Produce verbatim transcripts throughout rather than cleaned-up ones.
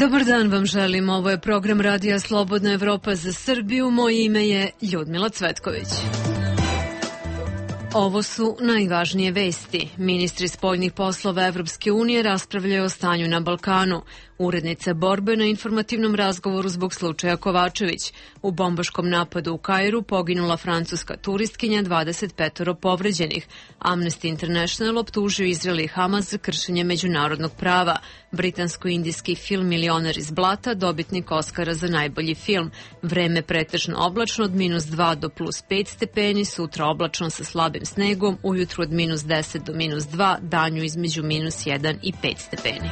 Dobar dan vam želim, ovo je program Radija Slobodna Evropa za Srbiju, moje ime je Ljudmila Cvetković. Ovo su najvažnije vesti. Ministri spoljnih poslova Evropske unije raspravljaju o stanju na Balkanu. Urednica borbe na informativnom razgovoru zbog slučaja Kovačević. U bombaškom napadu u Kairu poginula francuska turistkinja, dvadeset pet povređenih. Amnesty International optužio Izrael i Hamas za kršenje međunarodnog prava. Britansko-indijski film Milioner iz blata, dobitnik Oskara za najbolji film. Vreme pretežno oblačno od minus dva do plus pet stepeni, sutra oblačno sa slabim snegom, ujutru od minus deset do minus dva, danju između minus jedan i pet stepeni.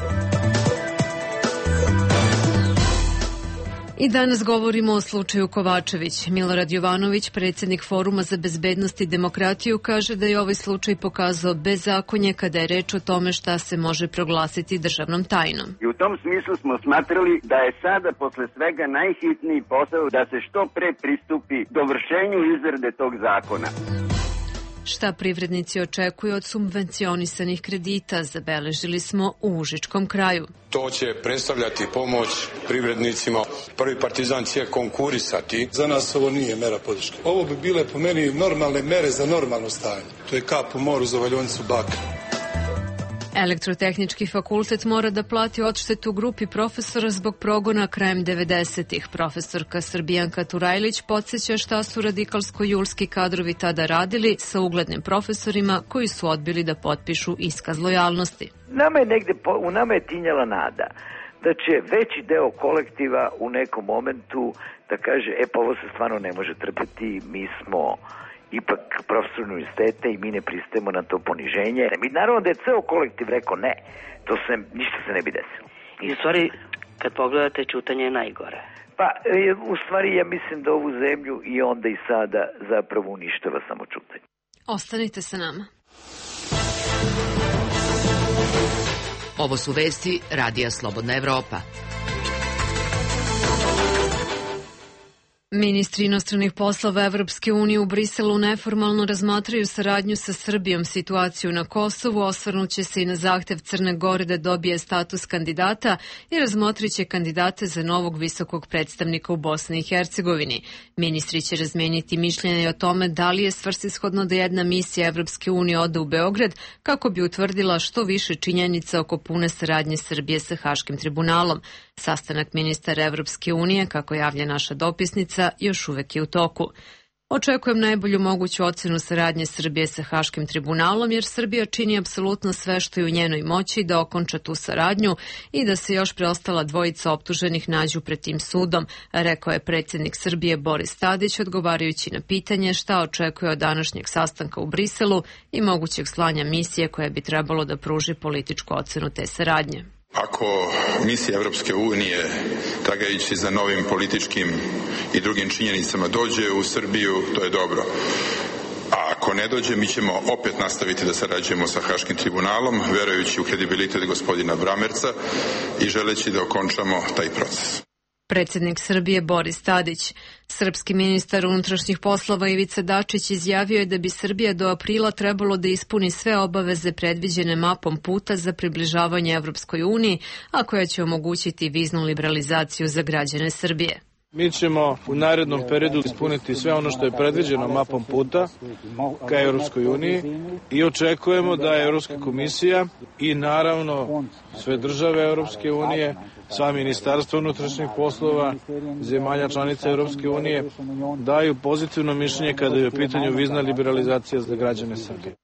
I danas govorimo o slučaju Kovačević. Milorad Jovanović, predsjednik Foruma za bezbednost i demokratiju, kaže da je ovaj slučaj pokazao bezakonje kada je reč o tome šta se može proglasiti državnom tajnom. I u tom smislu smo smatrali da je sada posle svega najhitniji posao da se što pre pristupi dovršenju izrade tog zakona. Šta privrednici očekuju od subvencionisanih kredita, zabeležili smo u Užičkom kraju. To će predstavljati pomoć privrednicima. Prvi Partizan će konkurisati. Za nas ovo nije mera podrške. Ovo bi bile po meni normalne mere za normalno stanje. To je kap u moru za valjonicu bakra. Elektrotehnički fakultet mora da plati odštetu grupi profesora zbog progona krajem devedesetih. Profesorka Srbijanka Turajlić podsjeća šta su radikalsko-julski kadrovi tada radili sa uglednim profesorima koji su odbili da potpišu iskaz lojalnosti. Nama je negde, u nama je tinjala nada da će veći deo kolektiva u nekom momentu da kaže, e pa ovo se stvarno ne može trpeti, mi smo ipak profesor univerziteta i mi ne pristajemo na to poniženje. Mi naravno da je ceo kolektiv rekao ne, to se, ništa se ne bi desilo. I u stvari, kad pogledate, čutanje je najgore. Pa, u stvari ja mislim da ovu zemlju i onda i sada zapravo uništava samo čutanje. Ostanite sa nama. Ovo su vesti Radija Slobodna Evropa. Ministri inostranih poslova Evropske unije u Briselu neformalno razmatraju saradnju sa Srbijom, situaciju na Kosovu, osvrnuće se i na zahtev Crne Gore da dobije status kandidata i razmotriće kandidate za novog visokog predstavnika u Bosni i Hercegovini. Ministri će razmeniti mišljenje o tome da li je svrsishodno da jedna misija Evropske unije ode u Beograd kako bi utvrdila što više činjenica oko pune saradnje Srbije sa Haškim tribunalom. Sastanak ministara Evropske unije, kako javlja naša dopisnica, još uvek je u toku. Očekujem najbolju moguću ocenu saradnje Srbije sa Haškim tribunalom, jer Srbija čini apsolutno sve što je u njenoj moći da okonča tu saradnju i da se još preostala dvojica optuženih nađu pred tim sudom, rekao je predsjednik Srbije Boris Tadić, odgovarajući na pitanje šta očekuje od današnjeg sastanka u Briselu i mogućeg slanja misije koja bi trebalo da pruži političku ocenu te saradnje. Ako misija Evropske unije, tragajući za novim političkim i drugim činjenicama, dođe u Srbiju, to je dobro. A ako ne dođe, mi ćemo opet nastaviti da sarađujemo sa Haškim tribunalom, verujući u kredibilitet gospodina Bramerca i želeći da okončamo taj proces. Predsjednik Srbije Boris Tadić. Srpski ministar unutrašnjih poslova Ivica Dačić izjavio je da bi Srbija do aprila trebalo da ispuni sve obaveze predviđene mapom puta za približavanje Evropskoj uniji, a koja će omogućiti viznu liberalizaciju za građane Srbije. Mi ćemo u narednom periodu ispuniti sve ono što je predviđeno mapom puta ka Europskoj uniji i očekujemo da Europska komisija i naravno sve države Europske unije, sva ministarstva unutrašnjih poslova, zemalja članica Europske unije daju pozitivno mišljenje kada je u pitanju vizna liberalizacija za građane Srbije.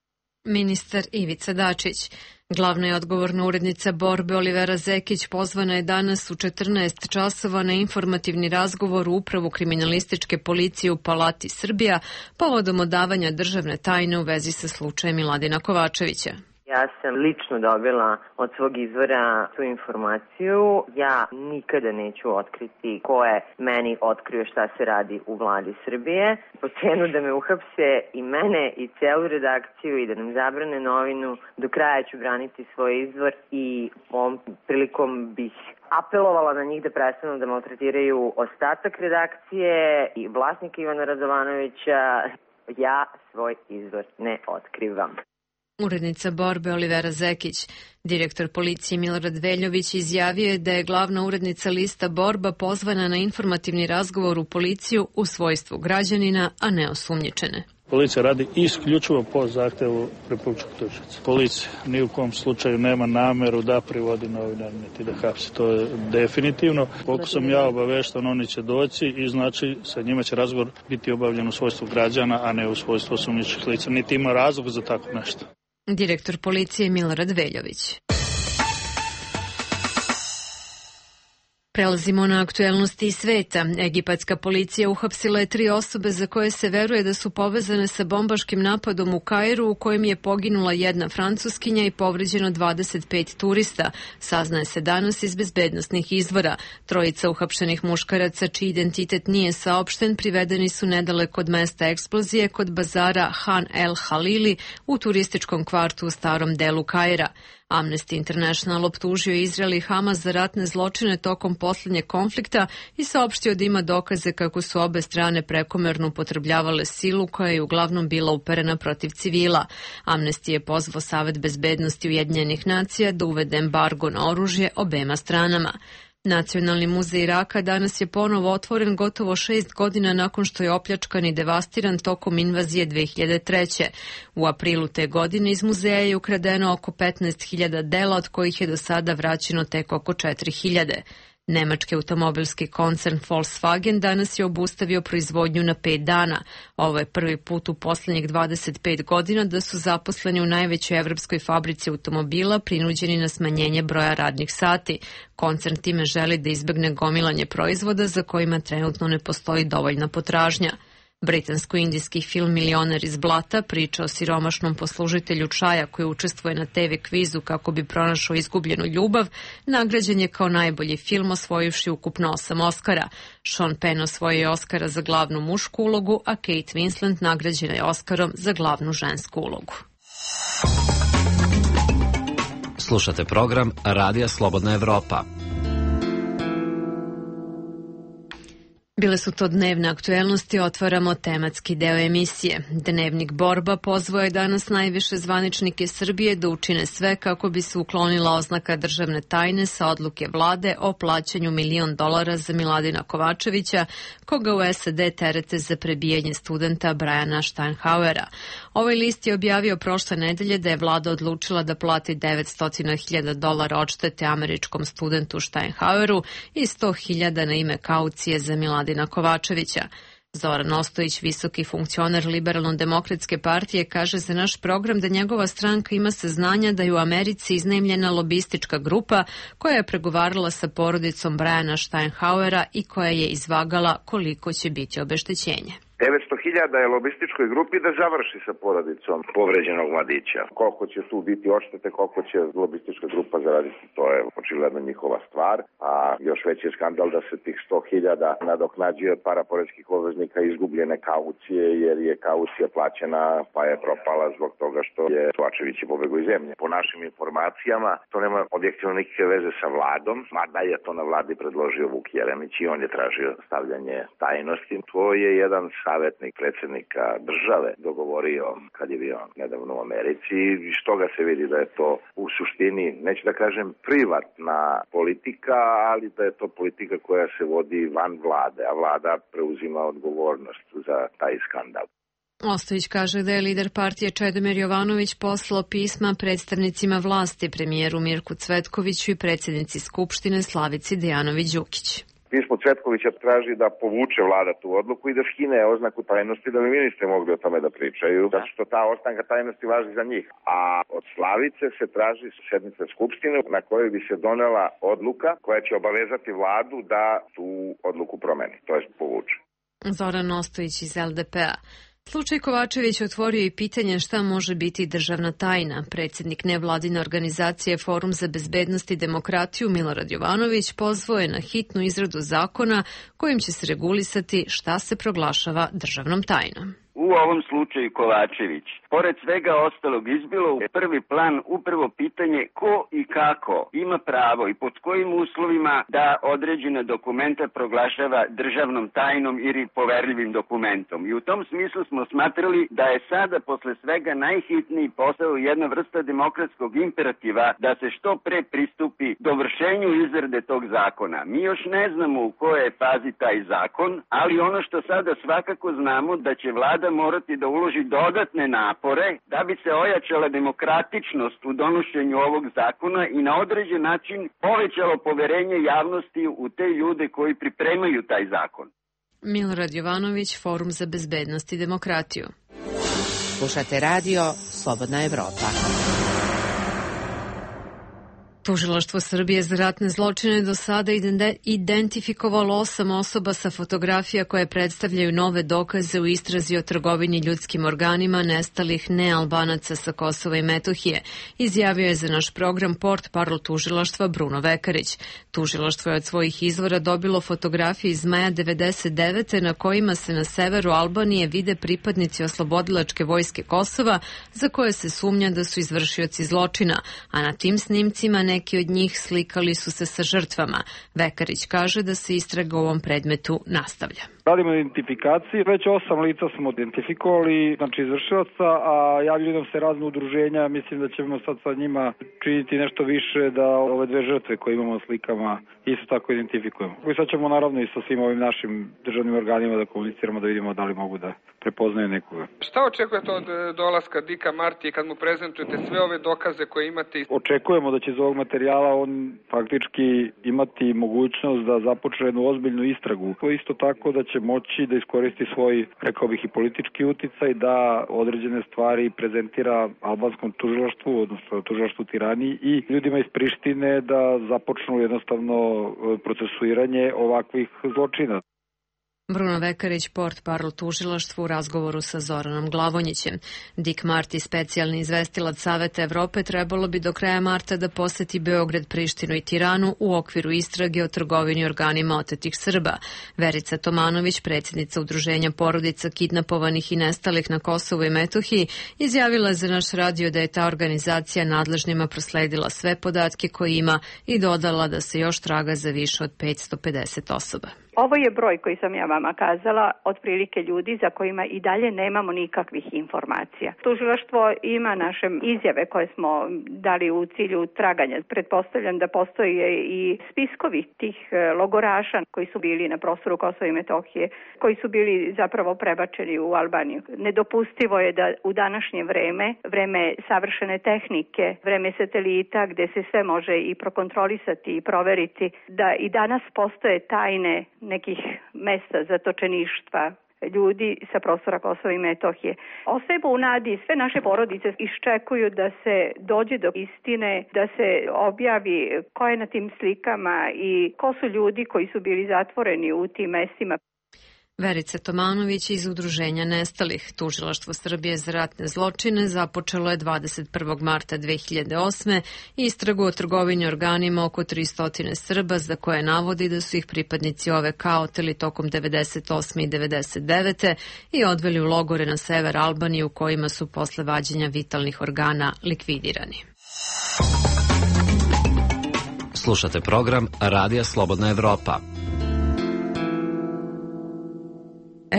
Ministar Ivica Dačić. Glavna je odgovorna urednica borbe Olivera Zekić pozvana je danas u četrnaest časova na informativni razgovor u Upravu kriminalističke policije u Palati Srbija povodom odavanja državne tajne u vezi sa slučajem Miladina Kovačevića. Ja sam lično dobila od svog izvora tu informaciju. Ja nikada neću otkriti ko je meni otkrio šta se radi u vladi Srbije. Po cenu da me uhapse i mene i celu redakciju i da nam zabrane novinu, do kraja ću braniti svoj izvor i ovom prilikom bih apelovala na njih da prestanu da maltretiraju ostatak redakcije i vlasnika Ivana Radovanovića. Ja svoj izvor ne otkrivam. Urednica Borbe Olivera Zekić. Direktor policije Milorad Veljović izjavio je da je glavna urednica lista Borba pozvana na informativni razgovor u policiju u svojstvu građanina, a ne osumnjičene. Policija radi isključivo po zahtevu republičkog tužioca. Policija ni u kom slučaju nema nameru da privodi novinar niti da hapsi. To je definitivno. Koliko sam ja obavešten, oni će doći i znači sa njima će razgovor biti obavljen u svojstvu građana, a ne u svojstvu osumnjičenih lica. Niti ima razlog za tako nešto. Direktor policije Milorad Veljović. Prelazimo na aktuelnosti iz sveta. Egipatska policija uhapsila je tri osobe za koje se veruje da su povezane sa bombaškim napadom u Kairu u kojem je poginula jedna Francuskinja i povređeno dvadeset pet turista. Saznaje se danas iz bezbednosnih izvora. Trojica uhapšenih muškaraca, čiji identitet nije saopšten, privedeni su nedaleko od mesta eksplozije kod bazara Han El Halili u turističkom kvartu u starom delu Kaira. Amnesty International optužio Izrael i Hamas za ratne zločine tokom posljednjeg konflikta i saopštio da ima dokaze kako su obe strane prekomerno upotrebljavale silu koja je uglavnom bila uperena protiv civila. Amnesty je pozvao Savet bezbednosti Ujedinjenih nacija da uvede embargo na oružje obema stranama. Nacionalni muzej Iraka danas je ponovo otvoren gotovo šest godina nakon što je opljačkan i devastiran tokom invazije dve hiljade treće. U aprilu te godine iz muzeja je ukradeno oko petnaest hiljada dela, od kojih je do sada vraćeno tek oko četiri hiljade. Nemački automobilski koncern Volkswagen danas je obustavio proizvodnju na pet dana. Ovo je prvi put u posljednjih dvadeset pet godina da su zaposleni u najvećoj evropskoj fabrici automobila prinuđeni na smanjenje broja radnih sati. Koncern time želi da izbegne gomilanje proizvoda za kojima trenutno ne postoji dovoljna potražnja. Britansko-indijski film Milioner iz blata priča o siromašnom poslužitelju čaja koji učestvuje na te ve kvizu kako bi pronašao izgubljenu ljubav, nagrađen je kao najbolji film, osvojivši ukupno osam Oskara. Sean Penn osvojio je Oskara za glavnu mušku ulogu, a Kate Winslet nagrađena je Oskarom za glavnu žensku ulogu. Slušate program Radija Slobodna Evropa. Bile su to dnevne aktuelnosti, otvaramo tematski deo emisije. Dnevnik Borba pozvao je danas najviše zvaničnike Srbije da učine sve kako bi se uklonila oznaka državne tajne sa odluke vlade o plaćanju milion dolara za Miladina Kovačevića, koga u es a de terete za prebijanje studenta Briana Steinhauera. Ovaj list je objavio prošle nedelje da je vlada odlučila da plati devetsto hiljada dolara odštete američkom studentu Steinhaueru i sto hiljada na ime kaucije za Miladina Kovačevića. Zoran Ostojić, visoki funkcioner Liberalno-demokratske partije, kaže za naš program da njegova stranka ima saznanja da je u Americi iznajmljena lobistička grupa koja je pregovarala sa porodicom Briana Steinhauera i koja je izvagala koliko će biti obeštećenje. devetsto hiljada je lobističkoj grupi da završi sa porodicom povređenog mladića. Koliko će tu biti odštete, koliko će lobistička grupa zaraditi, to je očigledno njihova stvar. A još veći je skandal da se tih sto hiljada nadoknađuje od para poreskih obveznika izgubljene kaucije, jer je kaucija plaćena pa je propala zbog toga što je Kovačević pobegao iz zemlje. Po našim informacijama to nema objektivno nikakve veze sa vladom, mada je to na vladi predložio Vuk Jeremić i on je tražio stavljanje tajnosti. To je jedan savjetnik predsjednika države dogovorio kad je bio nedavno u Americi i što ga se vidi da je to u suštini, neću da kažem privatna politika, ali da je to politika koja se vodi van vlade, a vlada preuzima odgovornost za taj skandal. Ostojić kaže da je lider partije Čedomir Jovanović poslao pisma predstavnicima vlasti, premijeru Mirku Cvetkoviću i predsjednici Skupštine Slavici Dejanović-Đukić. Pismo Cvetkovića traži da povuče vlada tu odluku i da skine oznaku tajnosti da bi ministri mogli o tome da pričaju, zato što ta oznaka tajnosti važi za njih. A od Slavice se traži sednica Skupštine na kojoj bi se donela odluka koja će obavezati vladu da tu odluku promeni, to jest povuče. Zoran Ostojić iz el de pe a. Slučaj Kovačević otvorio i pitanje šta može biti državna tajna. Predsjednik nevladine organizacije Forum za bezbednost i demokratiju Milorad Jovanović pozvao je na hitnu izradu zakona kojim će se regulisati šta se proglašava državnom tajnom. u ovom slučaju Kovačević. Pored svega ostalog izbilo u prvi plan upravo pitanje ko i kako ima pravo i pod kojim uslovima da određena dokumenta proglašava državnom tajnom ili poverljivim dokumentom. I u tom smislu smo smatrali da je sada posle svega najhitniji posao jedna vrsta demokratskog imperativa da se što pre pristupi dovršenju izrade tog zakona. Mi još ne znamo u kojoj fazi taj zakon, ali ono što sada svakako znamo da će vlada morati da uloži dodatne napore da bi se ojačala demokratičnost u donošenju ovog zakona i na određen način povećalo poverenje javnosti u te ljude koji pripremaju taj zakon. Milorad Jovanović, Forum za bezbednost i demokratiju. Slušate radio Slobodna Evropa. Tužilaštvo Srbije za ratne zločine do sada identifikovalo osam osoba sa fotografija koje predstavljaju nove dokaze u istrazi o trgovini ljudskim organima nestalih nealbanaca sa Kosova i Metohije, izjavio je za naš program portparol tužilaštva Bruno Vekarić. Tužilaštvo je od svojih izvora dobilo fotografije iz maja devedeset devete na kojima se na severu Albanije vide pripadnici oslobodilačke vojske Kosova za koje se sumnja da su izvršioci zločina, a na tim snimcima neki od njih slikali su se sa žrtvama. Vekarić kaže da se istraga u ovom predmetu nastavlja. Radimo na identifikaciji, već osam lica smo identifikovali, znači izvršilaca, a javljaju nam se razne udruženja, mislim da ćemo sad sa njima činiti nešto više da ove dve žrtve koje imamo na slikama isto tako identifikujemo. I sad ćemo naravno i sa svim ovim našim državnim organima da komuniciramo, da vidimo da li mogu da prepoznaju nekoga. Šta očekujete od dolaska Dika Martije kad mu prezentujete sve ove dokaze koje imate? Očekujemo da će iz ovog materijala on faktički imati mogućnost da započne jednu ozbiljnu istragu. Isto tako da će moći da iskoristi svoj, rekao bih, i politički uticaj, da određene stvari prezentira albanskom tužilaštvu, odnosno tužilaštvu Tirani i ljudima iz Prištine da započnu jednostavno procesuiranje ovakvih zločina. Bruno Vekarić, portparol tužilaštva u razgovoru sa Zoranom Glavonjićem. Dick Marty, specijalni izvestilac Saveta Evrope, trebalo bi do kraja marta da poseti Beograd, Prištinu i Tiranu u okviru istrage o trgovini organima otetih Srba. Verica Tomanović, predsjednica Udruženja porodica kidnapovanih i nestalih na Kosovu i Metohiji, izjavila je za naš radio da je ta organizacija nadležnima prosledila sve podatke koje ima i dodala da se još traga za više od petsto pedeset osoba. Ovo je broj koji sam ja vama kazala, otprilike ljudi za kojima i dalje nemamo nikakvih informacija. Tužilaštvo ima naše izjave koje smo dali u cilju traganja. Pretpostavljam da postoje i spiskovi tih logoraša koji su bili na prostoru Kosova i Metohije, koji su bili zapravo prebačeni u Albaniju. Nedopustivo je da u današnje vreme, vreme savršene tehnike, vreme satelita gde se sve može i prokontrolisati i proveriti, da i danas postoje tajne nekih mesta zatočeništva ljudi sa prostora Kosova i Metohije. Ostajemo u nadi, sve naše porodice iščekuju da se dođe do istine, da se objavi ko je na tim slikama i ko su ljudi koji su bili zatvoreni u tim mestima. Verica Tomanović iz Udruženja nestalih. Tužilaštvo Srbije za ratne zločine započelo je dvadeset prvog marta dve hiljade osme istragu o trgovini organima oko tristo Srba za koje navodi da su ih pripadnici O V K oteli tokom devedeset osme i devedeset devete i odveli u logore na sever Albanije u kojima su posle vađenja vitalnih organa likvidirani. Slušate program Radija Slobodna Evropa.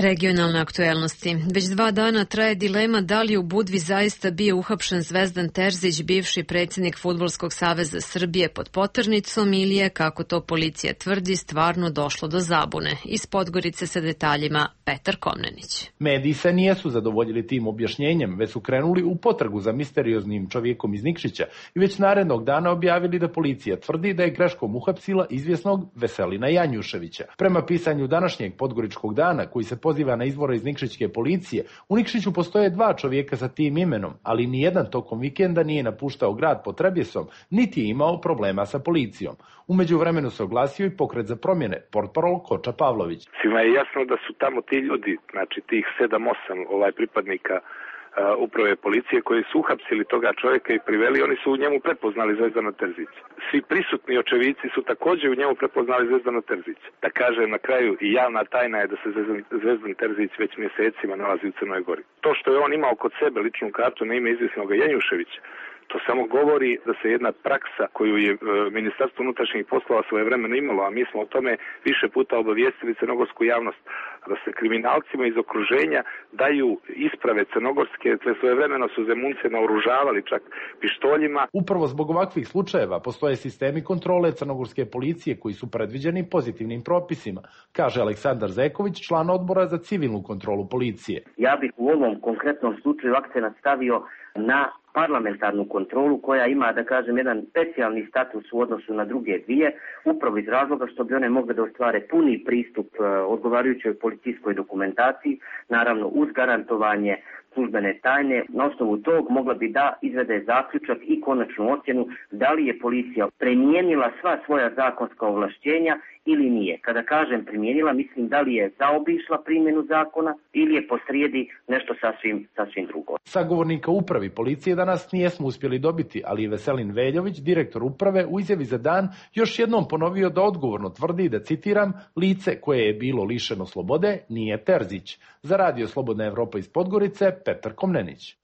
Regionalne aktuelnosti. Već dva dana traje dilema da li u Budvi zaista bio uhapšen Zvezdan Terzić, bivši predsjednik Fudbalskog saveza Srbije, pod poternicom ili je, kako to policija tvrdi, stvarno došlo do zabune. Iz Podgorice sa detaljima Petar Komnenić. Mediji se nijesu zadovoljili tim objašnjenjem, već su krenuli u potragu za misterioznim čovjekom iz Nikšića i već narednog dana objavili da policija tvrdi da je greškom uhapsila izvjesnog Veselina Janjuševića. Prema pisanju današnjeg Podgoričkog dana, koji se poziva na izvore iz Nikšićke policije, u Nikšiću postoje dva čovjeka sa tim imenom, ali nijedan tokom vikenda nije napuštao grad pod Trebjesom, niti je imao problema sa policijom. U međuvremenu se oglasio i pokret za promjene, portparol Koča Pavlović. Svima je jasno da su tamo ti ljudi, znači tih sedam osam ovaj pripadnika uprave policije koji su uhapsili toga čovjeka i priveli, oni su u njemu prepoznali Zvezdana Terzića. Svi prisutni očevici su također u njemu prepoznali Zvezdana Terzića. Da kažem na kraju, i javna tajna je da se Zvezdan Terzić već mjesecima nalazi u Crnoj Gori. To što je on imao kod sebe ličnu kartu na ime izvjesnog Janjuševića, to samo govori da se jedna praksa koju je e, Ministarstvo unutrašnjih poslova svojevremeno imalo, a mi smo o tome više puta obavijestili crnogorsku javnost, da se kriminalcima iz okruženja daju isprave crnogorske, te svojevremeno su Zemunce naoružavali čak pištoljima. Upravo zbog ovakvih slučajeva postoje sistemi kontrole crnogorske policije koji su predviđeni pozitivnim propisima, kaže Aleksandar Zeković, član odbora za civilnu kontrolu policije. Ja bih u ovom konkretnom slučaju akcenat stavio na parlamentarnu kontrolu koja ima, da kažem, jedan specijalni status u odnosu na druge dvije, upravo iz razloga što bi one mogle da ostvare puni pristup odgovarajućoj policijskoj dokumentaciji, naravno uz garantovanje službene tajne. Na osnovu tog mogla bi da izvede zaključak i konačnu ocjenu da li je policija primijenila sva svoja zakonska ovlašćenja ili nije. Kada kažem primijenila, mislim da li je zaobišla primjenu zakona ili je posrijedi nešto sasvim, sasvim drugo. Sagovornika upravi policije danas nijesmo uspjeli dobiti, ali je Veselin Veljović, direktor uprave, u izjavi za Dan još jednom ponovio da odgovorno tvrdi da, citiram, lice koje je bilo lišeno slobode nije Terzić. Za Radio Slobodna Evropa iz Podgorice, Petar Komnenić.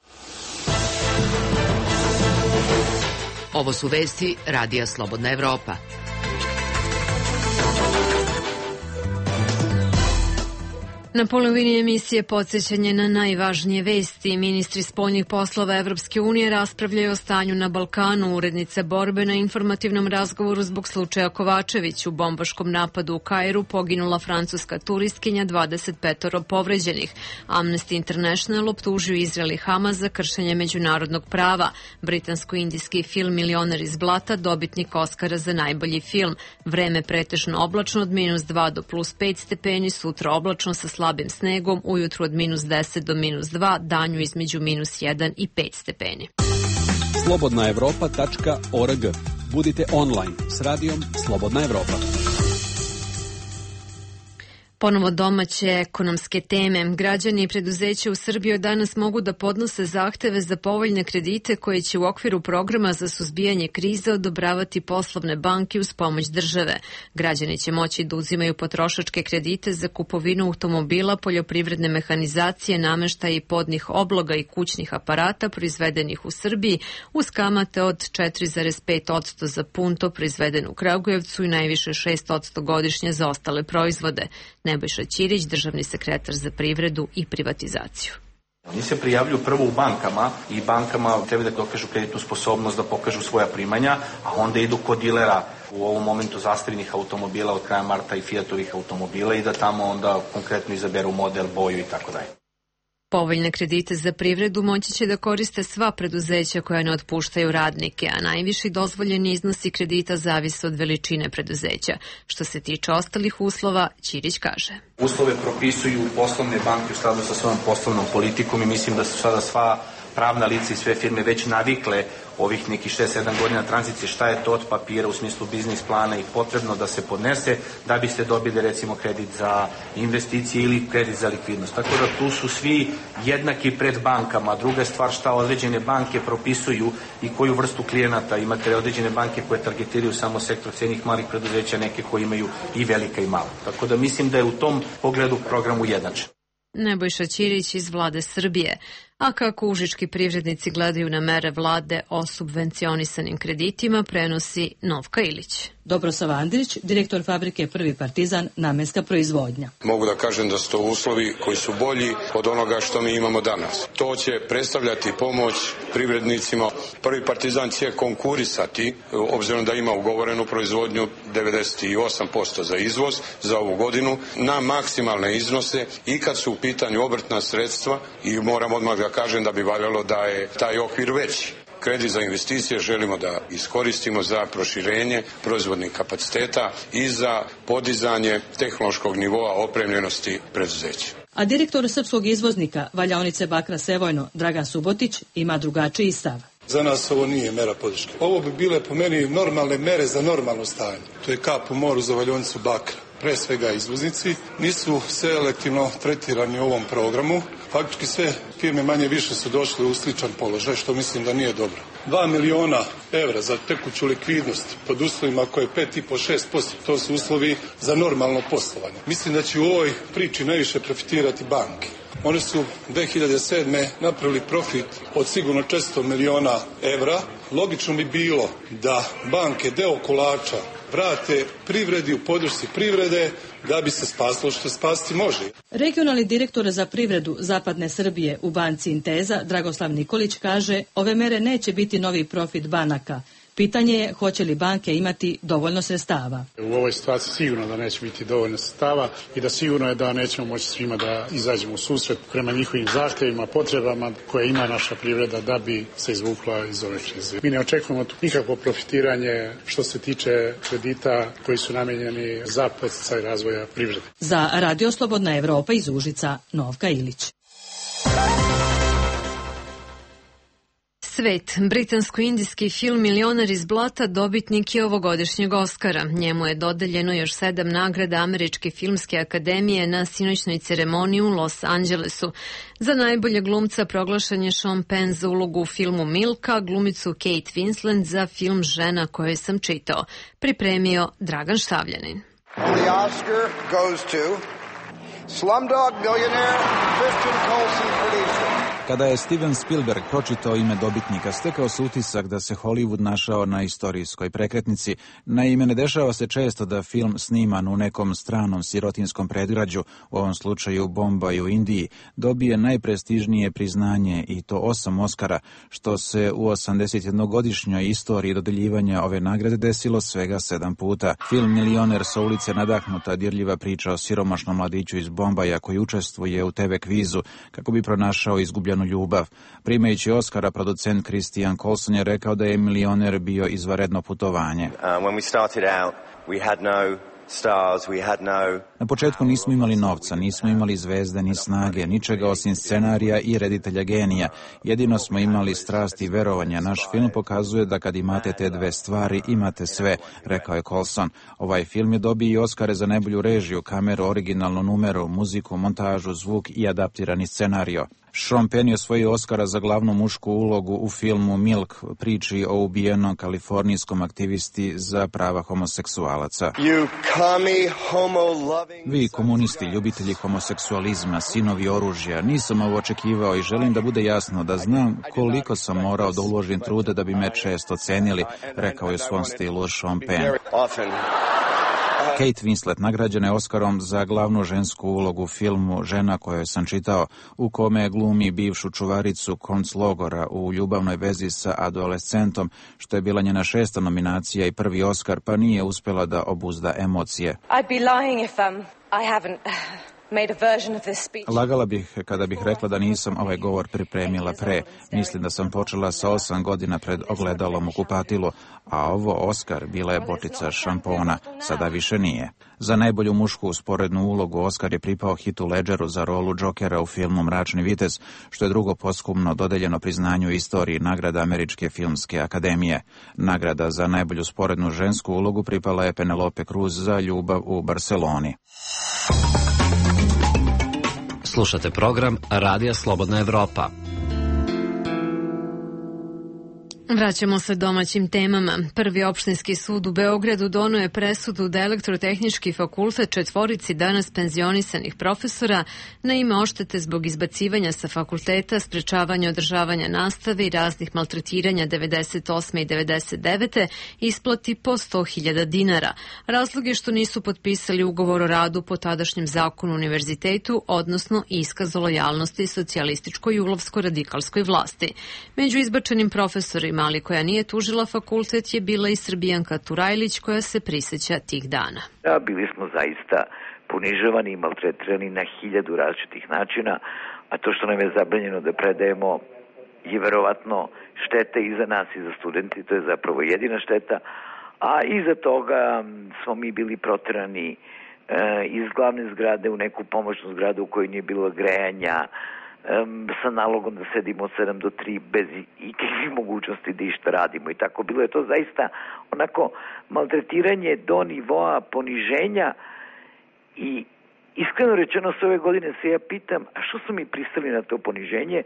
Ovo su vesti Radija Slobodna Evropa. Na polovini emisije podsjećanje na najvažnije vesti. Ministri spoljnih poslova Evropske unije raspravljaju o stanju na Balkanu. Urednice borbe na informativnom razgovoru zbog slučaja Kovačević. U bombaškom napadu u Kairu poginula francuska turistkinja, dvadeset petoro povređenih. Amnesty International optužio Izrael i Hamas za kršenje međunarodnog prava. Britansko-indijski film Milioner iz blata, dobitnik Oskara za najbolji film. Vreme pretežno oblačno od minus dva do plus pet stepeni, sutra oblačno sa slabim snegom, ujutru od minus deset do minus dva, danju između minus jedan i pet stepeni. slobodna evropa tačka org. Budite online s radijom Slobodna Evropa. Ponovo domaće ekonomske teme. Građani i preduzeća u Srbiji danas mogu da podnose zahteve za povoljne kredite koje će u okviru programa za suzbijanje krize odobravati poslovne banke uz pomoć države. Građani će moći da uzimaju potrošačke kredite za kupovinu automobila, poljoprivredne mehanizacije, nameštaja i podnih obloga i kućnih aparata proizvedenih u Srbiji uz kamate od četiri zarez pet posto za punto proizveden u Kragujevcu i najviše šest posto godišnje za ostale proizvode. Nebojša Ćirić, državni sekretar za privredu i privatizaciju. Oni se prijavljuju prvo u bankama i bankama treba da dokažu kreditnu sposobnost, da pokažu svoja primanja, a onda idu kod dilera u ovom momentu zastavljenih automobila od kraja marta i Fiatovih automobila i da tamo onda konkretno izaberu model, boju i tako dalje. Povoljne kredite za privredu moći će da koriste sva preduzeća koja ne otpuštaju radnike, a najviši dozvoljeni iznosi kredita zavise od veličine preduzeća. Što se tiče ostalih uslova, Ćirić kaže. Uslove propisuju poslovne banke u skladu sa svojom poslovnom politikom i mislim da su sada sva pravna lica i sve firme već navikle ovih nekih šest sedam godina tranzicije šta je to od papira u smislu biznis plana i potrebno da se podnese da biste dobili recimo kredit za investicije ili kredit za likvidnost. Tako da tu su svi jednaki pred bankama. Druga stvar šta određene banke propisuju i koju vrstu klijenata. Imate određene banke koje targetiraju samo sektor srednjih malih preduzeća, neke koje imaju i velika i mala. Tako da mislim da je u tom pogledu program ujednačen. Nebojša Ćirić iz Vlade Srbije. A kako užički privrednici gledaju na mere vlade o subvencionisanim kreditima, prenosi Novka Ilić. Dobrosav Andrić, direktor fabrike Prvi Partizan, namenska proizvodnja. Mogu da kažem da su to uslovi koji su bolji od onoga što mi imamo danas. To će predstavljati pomoć privrednicima. Prvi Partizan će konkurisati, obzirom da ima ugovorenu proizvodnju devedeset osam posto za izvoz za ovu godinu, na maksimalne iznose i kad su u pitanju obrtna sredstva i moram odmah da kažem da bi valjalo da je taj okvir veći. Kredit za investicije želimo da iskoristimo za proširenje proizvodnih kapaciteta i za podizanje tehnološkog nivoa opremljenosti preduzeća. A direktor srpskog izvoznika valjaonice Bakra Sevojno, Dragan Subotić, ima drugačiji stav. Za nas ovo nije mera podrške. Ovo bi bile po meni normalne mere za normalno stanje. To je kap u moru za valjaonicu Bakra. Pre svega izvoznici nisu selektivno tretirani u ovom programu Faktički sve firme manje više su došle u sličan položaj, što mislim da nije dobro. Dva miliona evra za tekuću likvidnost pod uslovima koje je pet i po do šest posto, to su uslovi za normalno poslovanje. Mislim da će u ovoj priči najviše profitirati banke. One su dve hiljade sedme. napravili profit od sigurno četiristo miliona evra. Logično bi bilo da banke deo kolača vrate privredi u podršci privrede da bi se spasilo što spasti može. Regionalni direktor za privredu Zapadne Srbije u banci Inteza, Dragoslav Nikolić, kaže ove mere neće biti novi profit banaka. Pitanje je hoće li banke imati dovoljno sredstava. U ovoj situaciji sigurno da neće biti dovoljno sredstava i da sigurno je da nećemo moći svima da izađemo u susret prema njihovim zahtjevima, potrebama koje ima naša privreda da bi se izvukla iz ove krize. Mi ne očekujemo tu nikakvo profitiranje što se tiče kredita koji su namijenjeni za podsticaj razvoja privrede. Za Radio Slobodna Evropa iz Užica, Novka Ilić. Svet. Britansko-indijski film Milioner iz blata dobitnik je ovogodišnjeg Oskara. Njemu je dodeljeno još sedam nagrada Američke filmske akademije na sinoćnoj ceremoniji u Los Angelesu. Za najbolje glumca proglašen je Sean Penn za ulogu u filmu Milka, glumicu Kate Winslet za film Žena koju sam čitao. Pripremio Dragan Štavljanin. The Oscar goes to Slumdog Millionaire, Christian Colson producer. Kada je Steven Spielberg pročitao ime dobitnika, stekao se utisak da se Hollywood našao na istorijskoj prekretnici. Naime, ne dešava se često da film sniman u nekom stranom sirotinskom predgrađu, u ovom slučaju Bombaj u Indiji, dobije najprestižnije priznanje i to osam Oskara, što se u osamdesetjednogodišnjoj istoriji dodeljivanja ove nagrade desilo svega sedam puta. Film Milioner sa ulice nadahnuta dirljiva priča o siromašnom mladiću iz Bombaja koji učestvuje u te ve kvizu kako bi pronašao izgubljenu ljubav. Primajući Oskara, producent Christian Colson je rekao da je Milioner bio izvanredno putovanje. Uh, when we started out, we had no stars, we had no... Na početku nismo imali novca, nismo imali zvezde ni snage, ničega osim scenarija i reditelja genija. Jedino smo imali strast i verovanja. Naš film pokazuje da kad imate te dve stvari, imate sve, rekao je Colson. Ovaj film je dobio i Oskare za najbolju režiju, kameru, originalnu numeru, muziku, montažu, zvuk i adaptirani scenario. Sean Penn je osvojio Oskara za glavnu mušku ulogu u filmu Milk, priči o ubijenom kalifornijskom aktivisti za prava homoseksualaca. Vi, komunisti, ljubitelji homoseksualizma, sinovi oružja, nisam ovo očekivao i želim da bude jasno da znam koliko sam morao da uložim trude da bi me često cenili, rekao je u svom stilu Sean Penn. Kate Winslet nagrađena je Oskarom za glavnu žensku ulogu u filmu Žena koju sam čitao, u kome glumi bivšu čuvaricu konclogora u ljubavnoj vezi sa adolescentom, što je bila njena šesta nominacija i prvi Oskar, pa nije uspela da obuzda emocije. I'd be lying if um, I haven't made a version of this speech. Lagala bih kada bih rekla da nisam ovaj govor pripremila pre. Mislim da sam počela sa osam godina pred ogledalom u kupatilu, a ovo Oskar bila je bočica šampona, sada više nije. Za najbolju mušku usporednu ulogu Oskar je pripao Heathu Ledgeru za rolu Jokera u filmu Mračni vitez, što je drugo posthumno dodeljeno priznanju u istoriji nagrada Američke filmske akademije. Nagrada za najbolju sporednu žensku ulogu pripala je Penelope Cruz za Ljubav u Barseloni. Slušate program Radija Slobodna Evropa. Vraćamo se domaćim temama. Prvi opštinski sud u Beogradu donio je presudu da Elektrotehnički fakultet četvorici danas penzionisanih profesora na ime oštete zbog izbacivanja sa fakulteta, sprečavanja održavanja nastave i raznih maltretiranja devedeset osme i devedeset devete isplati po sto hiljada dinara. Razlog je što nisu potpisali ugovor o radu po tadašnjem zakonu univerzitetu, odnosno iskaz o lojalnosti socijalističkoj i ulovsko-radikalskoj vlasti. Među izbačenim profesorima, ali koja nije tužila fakultet, je bila i Srbijanka Turajlić, koja se prisjeća tih dana. Da, bili smo zaista ponižavani i maltretirani na hiljadu različitih načina, a to što nam je zabranjeno da predajemo je verovatno šteta i za nas i za studenti, to je zapravo jedina šteta, a iza toga smo mi bili proterani e, iz glavne zgrade u neku pomoćnu zgradu u kojoj nije bilo grejanja, Um, sa nalogom da sedimo od sedam do tri bez ikakvih mogućnosti da išta radimo i tako. Bilo je to zaista onako maltretiranje do nivoa poniženja i Iskreno rečeno, s ove godine se ja pitam, a što su mi pristali na to poniženje?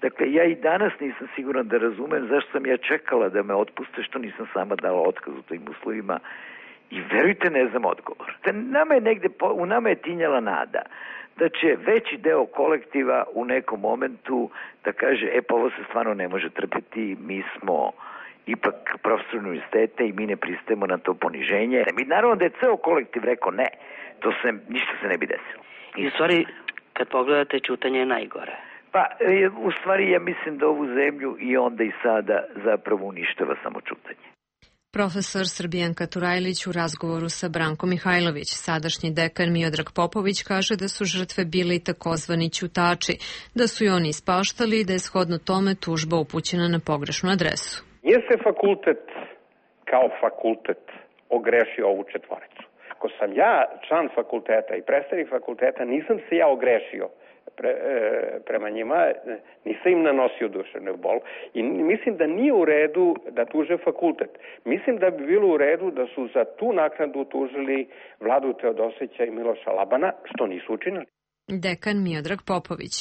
Dakle, ja i danas nisam siguran da razumem zašto sam ja čekala da me otpuste, što nisam sama dala otkaz u tim uslovima. I verujte, ne znam odgovor. Da nama je negde, u nama je tinjala nada da će veći deo kolektiva u nekom momentu da kaže, e pa ovo se stvarno ne može trpeti, mi smo ipak profesor univerziteta i mi ne pristajemo na to poniženje. Mi naravno da je ceo kolektiv rekao ne, to se, ništa se ne bi desilo. I u stvari, kad pogledate, ćutanje je najgore. Pa, u stvari ja mislim da ovu zemlju i onda i sada zapravo uništava samo ćutanje. Profesor Srbijanka Turajlić u razgovoru sa Brankom Mihajlović. Sadašnji dekan Miodrag Popović kaže da su žrtve bili takozvani ćutači, da su i oni ispaštali i da je shodno tome tužba upućena na pogrešnu adresu. Nije se fakultet kao fakultet ogrešio ovu četvoricu. Ako sam ja član fakulteta i predstavnik fakulteta, nisam se ja ogrešio pre, e, prema njima, nisam im nanosio duševnu bol i mislim da nije u redu da tuže fakultet. Mislim da bi bilo u redu da su za tu naknadu tužili Vladu Teodosića i Miloša Labana, što nisu učinili. Dekan Miodrag Popović.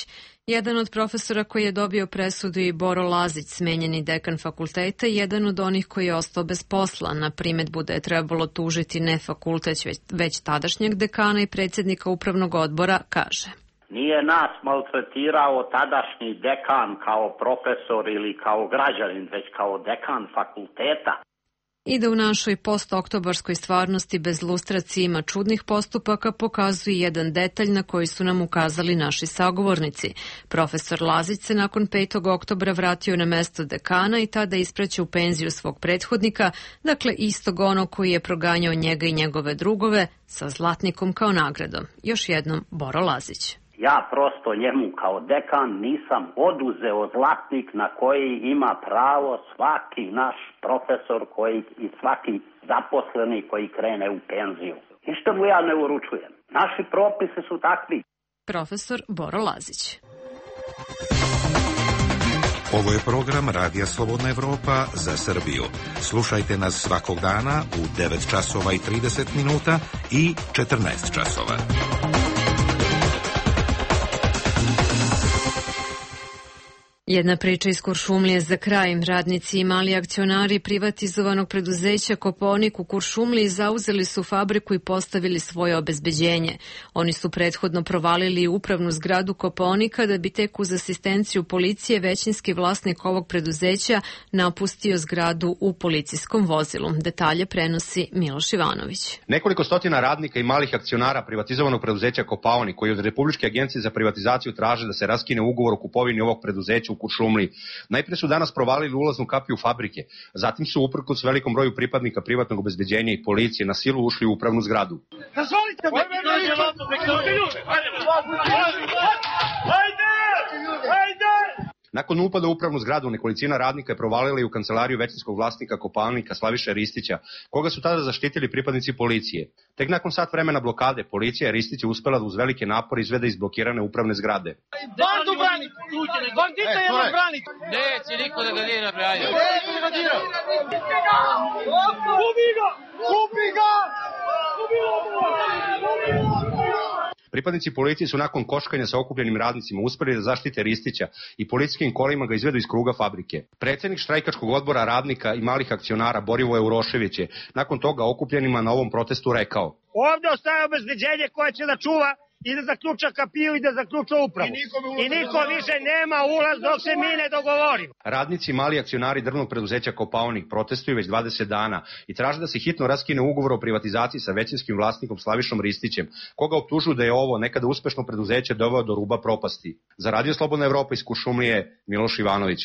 Jedan od profesora koji je dobio presudu i Boro Lazić, smenjeni dekan fakulteta, jedan od onih koji je ostao bez posla. Na primedbu da je trebalo tužiti ne fakultet, već, već tadašnjeg dekana i predsjednika upravnog odbora, kaže. Nije nas maltretirao tadašnji dekan kao profesor ili kao građanin, već kao dekan fakulteta. I da u našoj postoktobarskoj stvarnosti bez lustracije ima čudnih postupaka pokazuje jedan detalj na koji su nam ukazali naši sagovornici. Profesor Lazić se nakon petog oktobra vratio na mesto dekana i tada ispraća u penziju svog prethodnika, dakle istog onog koji je proganjao njega i njegove drugove sa zlatnikom kao nagradom. Još jednom Boro Lazić. Ja prosto njemu kao dekan nisam oduzeo zlatnik na koji ima pravo svaki naš profesor koji, i svaki zaposleni koji krene u penziju. Ništa mu ja ne uručujem. Naši propisi su takvi. Profesor Boro Lazić. Ovo je program Radija Slobodna Evropa za Srbiju. Slušajte nas svakog dana u devet časova i trideset minuta i četrnaest časova. Jedna priča iz Kuršumlije za kraj. Radnici i mali akcionari privatizovanog preduzeća Kopaonik u Kuršumliji zauzeli su fabriku i postavili svoje obezbeđenje. Oni su prethodno provalili upravnu zgradu Kopaonika da bi tek uz asistenciju policije većinski vlasnik ovog preduzeća napustio zgradu u policijskom vozilu. Detalje prenosi Miloš Ivanović. Nekoliko stotina radnika i malih akcionara privatizovanog preduzeća Kopaonik, koji od Republičke agencije za privatizaciju traže da se raskine ugovor o kupovini ovog preduzeća u Kuršumliji. Najprije su danas provalili ulaznu kapiju fabrike, zatim su uprkos velikom broju pripadnika privatnog obezbeđenja i policije na silu ušli u upravnu zgradu. Dozvolite me! Ajde! Ajde! Nakon upada u upravnu zgradu, nekolicina radnika je provalila i u kancelariju većinskog vlasnika Kopaonika Slaviše Ristića, koga su tada zaštitili pripadnici policije. Tek nakon sat vremena blokade, policija je Ristića uspela da uz velike napore izvede iz blokirane upravne zgrade. Bandu brani! Bandita jedno brani! Neće niko da ga nije napravio. Neće da ga dira! Kupi ga! Kupi ga! Kupi ga! Pripadnici policije su nakon koškanja sa okupljenim radnicima uspeli da zaštite Ristića i policijskim kolima ga izvedu iz kruga fabrike. Predsednik štrajkačkog odbora radnika i malih akcionara Borivoje Urošević je nakon toga okupljenima na ovom protestu rekao: Ovde ostaje obezbeđenje koje će da čuva i da zaključa kapiju i da zaključa upravu. I, I niko više nema ulaz dok se mi ne dogovorimo. Radnici i mali akcionari drvnog preduzeća Kopaonik protestuju već dvadeset dana i traže da se hitno raskine ugovor o privatizaciji sa većinskim vlasnikom Slavišom Ristićem, koga optužuju da je ovo nekada uspešno preduzeće doveo do ruba propasti. Za Radio Slobodna Evropa iz Kuršumlije, Miloš Ivanović.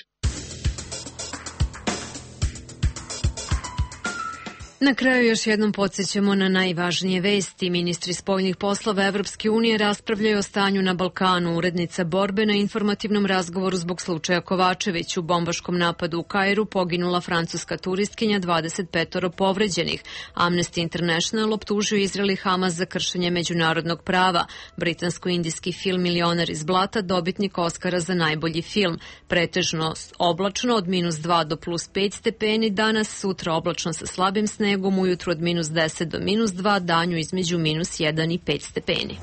Na kraju još jednom podsjećamo na najvažnije vesti. Ministri spoljnih poslova Evropske unije raspravljaju o stanju na Balkanu. Urednica borbe na informativnom razgovoru zbog slučaja Kovačević. U bombaškom napadu u Kairu poginula francuska turistkinja, dvadeset pet povređenih. Amnesty International optužio Izrael i Hamas za kršenje međunarodnog prava. Britansko-indijski film Milioner iz blata dobitnik Oskara za najbolji film. Pretežno oblačno od minus dva do plus pet stepeni danas, sutra oblačno sa slabim snegom, ujutru od minus deset do minus dva, danju između minus jedan i pet stepeni.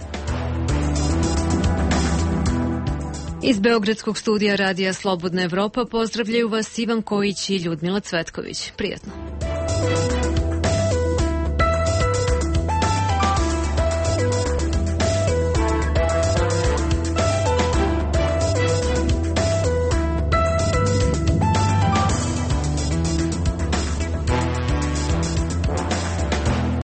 Iz Beogradskog studija Radija Slobodna Evropa pozdravljaju vas Ivan Kojić i Ljudmila Cvetković. Prijetno.